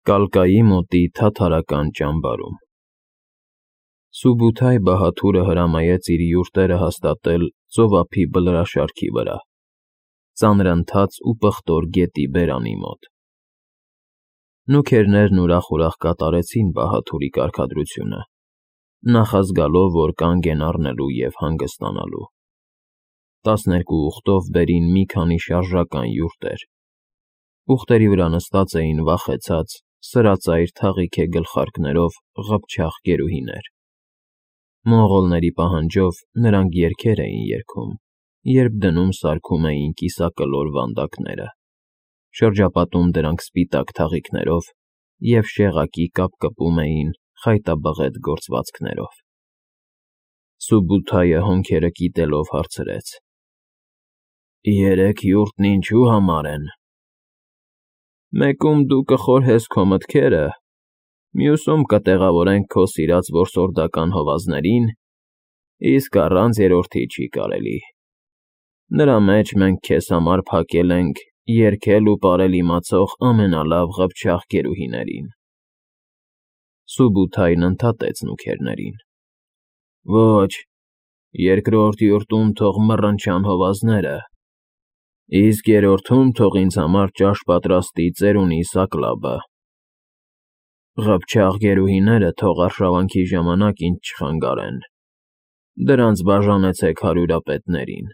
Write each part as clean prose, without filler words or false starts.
Կալկայի մոտի թաթարական ճամբարում Սուբութայ Բահաթուրը հրամայեց իր յուրտերը հաստատել ծովափի բլրաշարքի վրա, ծանրընթաց ու պղտոր գետի բերանի մոտ։ Նուքերներն ուրախ-ուրախ կատարեցին Բահաթուրի կարգադրությունը, նախազգալով, որ կանգ են առնելու և հանգստանալու։ 12 ուղտով բերին մի քանի շարժական յուրտեր։ Ուղտերի վրա նստած էին վախեցած, սրածայր թաղիքե գլխարկներով ղփչաղ գերուհիներ։ Մոնղոլների պահանջով նրանք երգեր էին երգում, երբ դնում սարքում էին կիսակլոր վանդակները, շրջապատում դրանք սպիտակ թաղիքներով և շեղակի կապկպում էին խայտաբղետ գործվածքներով։ Սուբութայը հոնքերը կիտելով հարցրեց. «Երեք յուրտն ինչու համար են»։ «Մեկում դու կխորհես քո մտքերը, մյուսում կտեղավորենք քո սիրած որսորդական հովազներին, իսկ առանց երրորդի չի կարելի։ Նրա մեջ մենք քեզ համար փակել ենք երգել ու պարել իմացող ամենալավ ղփչաղ գերուհիներին»։ Սուբութայն ընդհատեց նուքերներին. «Ոչ, երկրորդ յուրտում թող մռնչան հովազները, իսկ երրորդում թող ինձ համար ճաշ պատրաստի ծերունի Սակլաբը։ Ղփչաղ գերուհիները թող արշավանքի ժամանակ ինձ չխանգարեն, դրանց բաժանեցեք հարյուրապետներին»։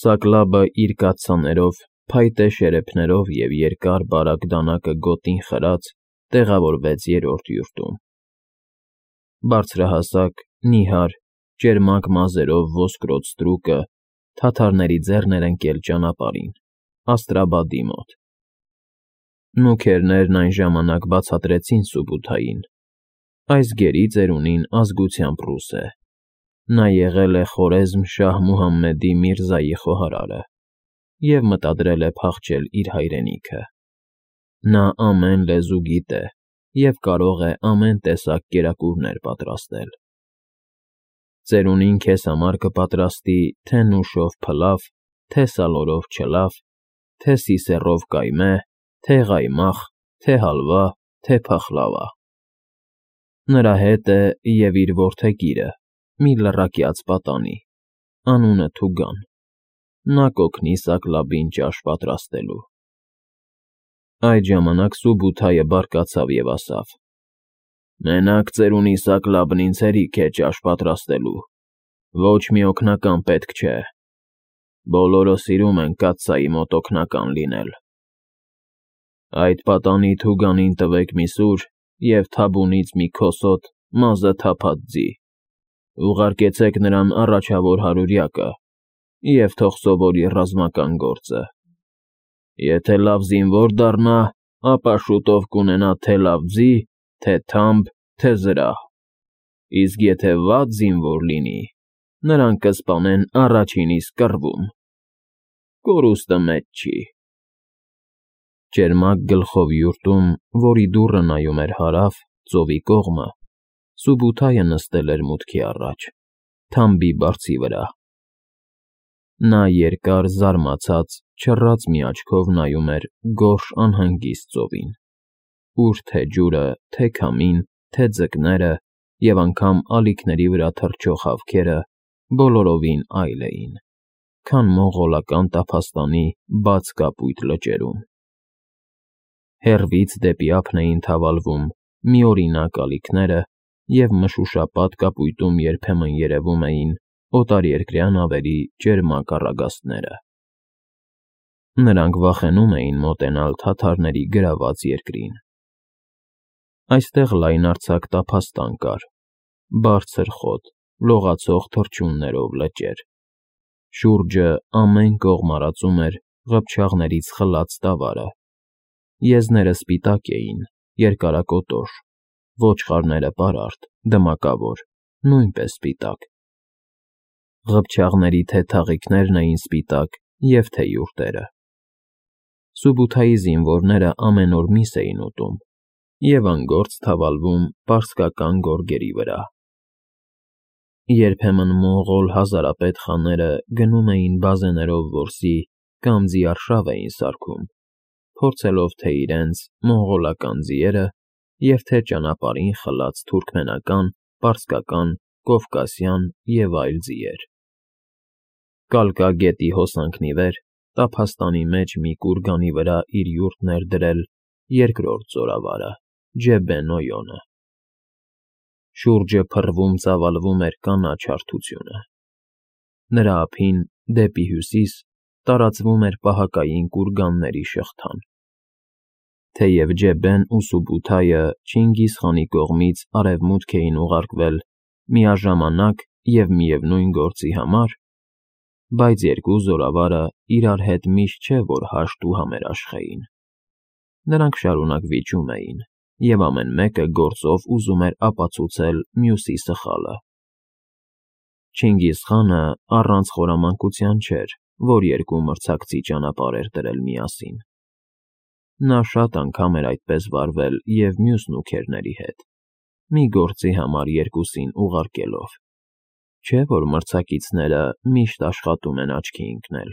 Սակլաբը իր կաթսաներով, փայտե շերեփներով և երկար բարակ դանակը գոտին խրած տեղավորվեց երրորդ յուրտում։ Բարձրահասակ, նիհար, ճերմակ մազերով ոսկրոտ ստրուկը թաթարների ձեռն էր ընկել ճանապարհին, Աստրաբադի մոտ։ Նուքերներն այն ժամանակ բացատրեցին Սուբութային. այս գերի ծերունին ազգությամբ ռուս է, նա եղել է Խորեզմ շահ Մուհամմեդի Միրզայի խոհարարը և մտադրել է փախչել իր հայրենիքը։ Նա ամեն լեզու գիտե և կարող է ամեն տեսակ կերակուրներ պատրաստել։ Ծերունին քեզ համար կպատրաստի թե նուշով փլավ, թե սալորով չլավ, թե սիսեռով կայմե, թե ղայմախ, թե հալվա, թե փախլավա։ Նրա հետ է և իր որդեգիրը, մի լռակյաց պատանի, անունը Թուգան, նա կօգնի Սակլաբին ճաշ պատրաստելու։ Այդ ժամանակ Սուբութայը բարկացավ և ասավ. «Մենակ ծերունի Սակլաբն ինձ հերիք է ճաշ պատրաստելու, ոչ մի օգնական պետք չէ։ Բոլորը սիրում են կաթսայի մոտ օգնական լինել։ Այդ պատանի Թուգանին տվեք մի սուր և թաբունից մի քոսոտ մազը թափած ձի, ուղարկեցեք նրան առաջավոր հարյուրյակը և թող սովորի ռազմական գործը։ Եթե լավ զինվոր դառնա, ապա շուտով կունենա թե լավ ձի, թե թամբ, թե զրահ, իսկ եթե վատ զինվոր լինի, նրան կսպանեն առաջին իսկ կռվում։ Կորուստը մեծ չի»։ Ճերմակ գլխով յուրտում, որի դուռը նայում էր հարավ, ծովի կողմը, Սուբութայը նստել էր մուտքի առաջ, թամբի բարձի վրա։ Նա երկար, զարմացած, չռած մի աչքով նայում էր գորշ անհանգիստ ծովին, ուր թե ջուրը, թե քամին, թե ձկները և անգամ ալիքների վրա թռչող հավքերը բոլորովին այլ էին, քան մոնղոլական տափաստանի բաց կապույտ լճերում։ Հեռվից դեպի ափն էին թավալվում միօրինակ ալիքները և մշուշապատ կապույտում երբեմն երևում էին օտարերկրյա նավերի ճերմակ առագաստները։ Նրանք վախենում էին մոտենալ թաթարների գրաված երկրին։ Այստեղ լայնարձակ տափաստան կար, բարձր խոտ, լողացող թռչուններով լճեր։ Շուրջը ամեն կողմ արածում էր ղփչաղներից խլած տավարը։ Եզները սպիտակ էին, երկարակոտոր, ոչխարները պարարտ, դմակավոր, նույնպես սպիտակ։ Ղփչաղների թե թաղիքներն էին սպիտակ և թե յուրտերը։ Սուբութայի զինվորները ամեն օր միս էին ուտում և անգործ թավալվում պարսկական գորգերի վրա։ Երբեմն մոնղոլ հազարապետ խաները գնում էին բազեներով որսի կամ ձիարշավ էին սարքում, փորձելով թե իրենց մոնղոլական ձիերը և թե ճանապարհին խլած թուրքմենական, պարսկական, կովկասյան և այլ ձիեր։ Կալկա գետի հոսանքն ի վեր տափաստանի մեջ մի կուրգանի վրա իր յուրտն էր դրել երկրորդ զորավարը՝ Ջեբեն֊Օյոնը։ Շուրջը փռվում ծավալվում էր կանաչ հարթությունը։ Նրա ափին, դեպի հյուսիս, տարածվում էր պահակային կուրգանների շղթան։ Թեև Ջեբեն ու Սուբութայը Չինգիզ խանի կողմից արևմուտք էին ուղարկվել միաժամանակ և միևնույն գործի համար, բայց երկու զորավարը իրար հետ միշտ չէ, որ հաշտ ու համերաշխ էին։ Նրանք շարունակ վիճում էին, և ամեն մեկը գործով ուզում էր ապացուցել մյուսի սխալը։ Չինգիզ խանը առանց խորամանկության չէր, որ երկու մրցակցի ճանապարհ էր դրել միասին։ Նա շատ անգամ էր այդպես վարվել և մյուս նուքերների հետ, մի գործի համար երկուսին ուղարկելով, չէ՞ որ մրցակիցները միշտ աշխատում են աչքի ընկնել։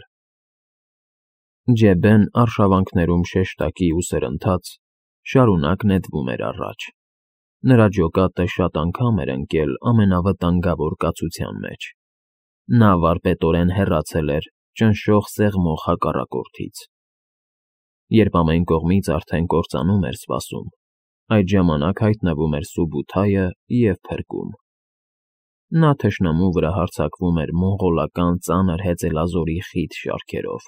Ջեբեն արշավանքներում շեշտակի ու սրընթաց շարունակ նետվում էր առաջ։ Նրա ջոկատը շատ անգամ էր ընկել ամենավտանգավոր կացության մեջ։ Նա վարպետորեն հեռացել էր ճնշող սեղմող հակառակորդից։ Երբ ամեն կողմից արդեն կործանում էր սպասում, այդ ժամանակ հայտնվում էր Սուբութայը և փրկում։ Նա թշնամու վրա հարձակվում էր մոնղոլական ծանր հեծելազորի խիտ շարքերով,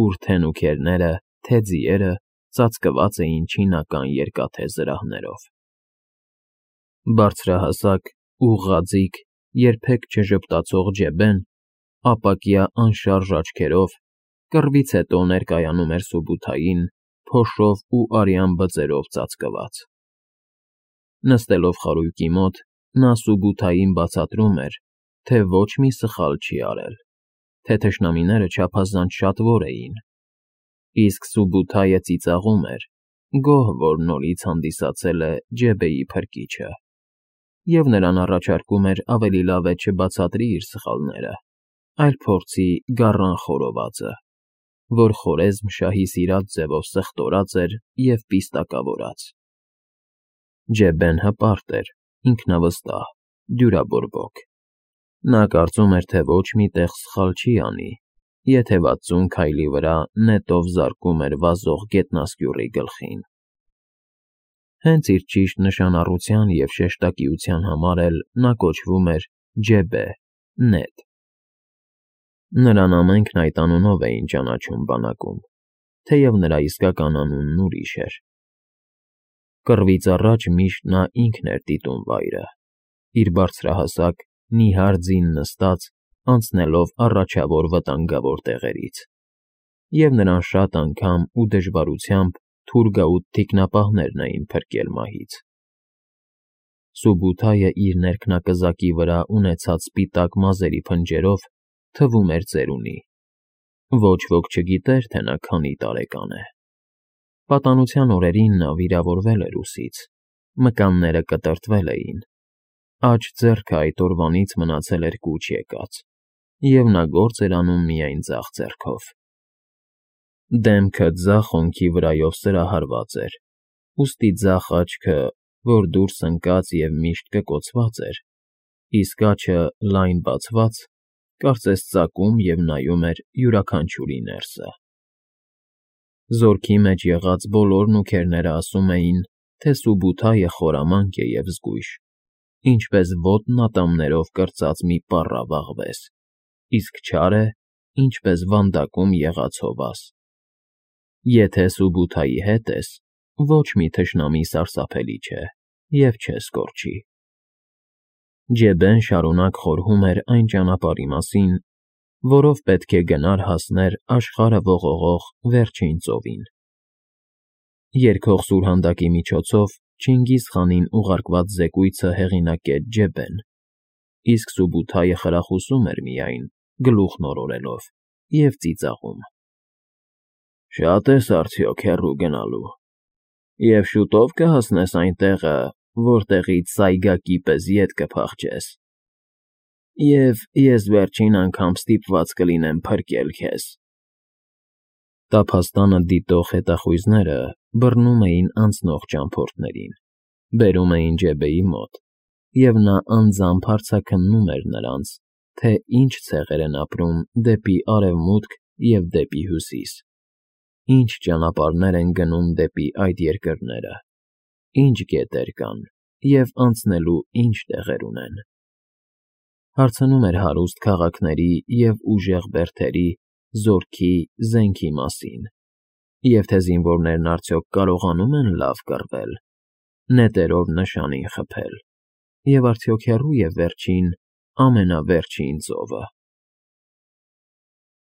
ուր թե նուքերները, թե ձիերը ծածկված էին չինական երկաթե զրահներով։ Բարձրահասակ, ուղղաձիգ, երբեք չժպտացող Ջեբեն, ապակյա անշարժ աչքերով, կռվից հետո ներկայանում էր Սուբութային, փոշով ու արյան բծերով ծածկված։ Նստելով խարույկի մոտ, նա Սուբութային բացատրում էր, թե ոչ մի սխալ չի արել, թե թշնամիները չափազանց շատվոր էին, իսկ Սուբութայը ծիծաղում էր, գոհ որ նորից հանդիսացել է Ջեբեի փրկիչը, և նրան առաջարկում էր ավելի լավ է չբացատրի իր սխալները, այլ փորձի գառան խորովածը, որ Խորեզմ֊շահի սիրած ձևով սխտորած էր և պիստակավորած։ Ջեբեն հպարտ էր, ինքնավստահ, դյուրաբորբոք։ Նա կարծում էր, թե ոչ մի տեղ սխալ չի անի, եթե 60 քայլի վրա նետով զարկում էր վազող գետնասկյուռի գլխին։ Հենց իր ճիշտ նշանառության և շեշտակիության համար էլ նա կոչվում էր Ջեբե՝ նետ։ Նրան ամենքն այդ անունով էին ճանաչում բանակում, թեև նրա իսկական անունն ուրիշ էր։ Կռվից առաջ միշտ նա ինքն էր դիտում վայրը, իր բարձրահասակ, նիհար ձին նստած, անցնելով առաջավոր վտանգավոր տեղերից, և նրան շատ անգամ ու դժվարությամբ թուրգաուտ թիկնապահներն էին փրկել մահից։ Սուբութայը իր ներքնակզակի վրա ունեցած սպիտակ մազերի փնջերով թվում էր ծերունի։ Ոչ ոք չգիտեր, թե նա քանի տարեկան է։ Պատանության օրերին նա վիրավորվել էր ուսից, մկանները կտրտվել էին, աջ ձեռքը այդ օրվանից մնացել էր կուչ եկած, և նա գործ էր անում միայն ձախ ձեռքով։ Դեմքը ձախ հոնքի վրայով սրահարված էր, ուստի ձախ աչքը, որ դուրս ընկած և միշտ կկոցված էր, իսկ աջը լայն բացված, կարծես ծակում և նայում էր յուրաքանչյուրի ներսը։ Զորքի մեջ եղած բոլոր նուքերները ասում էին, թե Սուբութայը խորամանկ է և զգույշ, ինչպես ոտն ատամներով կրծած մի պառավ աղվես, իսկ չար է, ինչպես վանդակում եղած հովաս։ Եթե Սուբութայի հետ ես, ոչ մի թշնամի սարսափելի չէ և չես կորչի։ Ջեբեն շարունակ խորհում էր այն ճանապարհի մասին, որով պետք է գնար հասներ աշխարհը ողողող վերջին ծովին։ Երգող սուրհանդակի միջոցով Չինգիզ խանին ուղարկված զեկույցը հեղինակեց Ջեբեն, իսկ Սուբութայը խրախուսում էր միայն, գլուխն օրորելով, և ծիծաղում։ Շատ ես արդյոք հեռու գնալու, և շուտո՞վ կհասնես այն տեղը, որտեղից Սայգակի պես ետ կփախչես, և ես վերջին անգամ ստիպված կլինեմ փրկել քեզ։ Տափաստանը դիտող հետախույզները բռնում էին անցնող ճամփորդներին, բերում էին Ջեբեի մոտ, և նա անձամբ հարցաքննում էր նրանց, թե ինչ ցեղեր են ապրում դեպի արևմուտք և դեպի հյուսիս, ինչ ճանապարհներ են գնում դեպի այդ երկրները, ինչ գետեր կան և անցնելու ինչ տեղեր ունեն. հարցնում էր հարուստ քաղաքների և ուժեղ բերդերի, զորքի, զենքի մասին, և թե զինվորներն արդյոք կարողանում են լավ կռվել, նետերով նշանին խփել, և արդյոք հեռո՞ւ է վերջին, ամենավերջին ծովը։